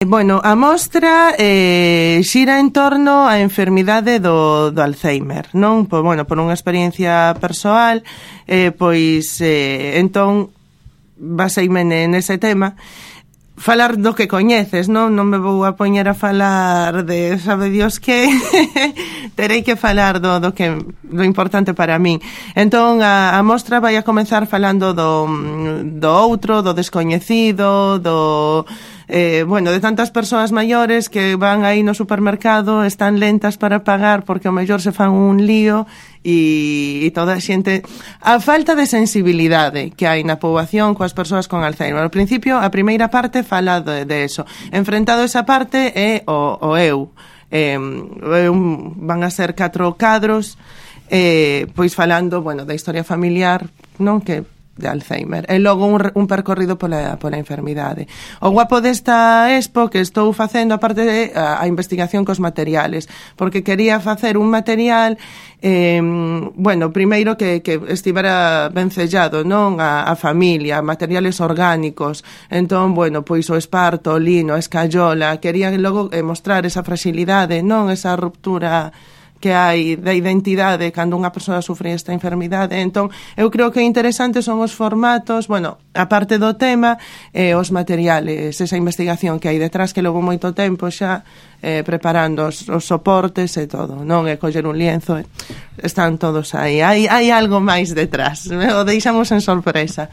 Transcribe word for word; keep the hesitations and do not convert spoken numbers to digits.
Bueno, a mostra eh, xira en torno á enfermidade do, do Alzheimer, non? Pois, bueno, por unha experiencia persoal, eh, pois, eh, entón, baseime nese tema, falar do que coñeces, non? Non me vou a poñer a falar de, sabe Dios que, terei que falar do, do que do importante para min. Entón, a, a mostra vai a comenzar falando do, do outro, do descoñecido, do... Eh, bueno, de tantas persoas maiores que van aí no supermercado, están lentas para pagar porque ao mellor se fan un lío e, e toda a xente, a falta de sensibilidade que hai na poboación coas persoas con Alzheimer. Ao principio, a primeira parte fala de, de eso. Enfrentado esa parte é o, o eu. Eh, un, van a ser catro cadros, eh, pois falando, bueno, da historia familiar, non, que de Alzheimer, e logo un, un percorrido pola, pola enfermidade. O guapo desta expo que estou facendo, aparte de a, a investigación cos materiales, porque quería facer un material eh, bueno, primeiro que, que estivera ben sellado, non? A, a familia, materiales orgánicos, entón, bueno, pois o esparto, o lino, a escayola, quería logo eh, mostrar esa fragilidade, non? Esa ruptura que hai da identidade cando unha persoa sufre esta enfermidade. Entón, eu creo que interesantes son os formatos, bueno, a parte do tema, eh, os materiales, esa investigación que hai detrás, que logo moito tempo xa eh, preparando os, os soportes e todo, non é coller un lienzo, están todos aí. Hai, hai algo máis detrás, o deixamos en sorpresa.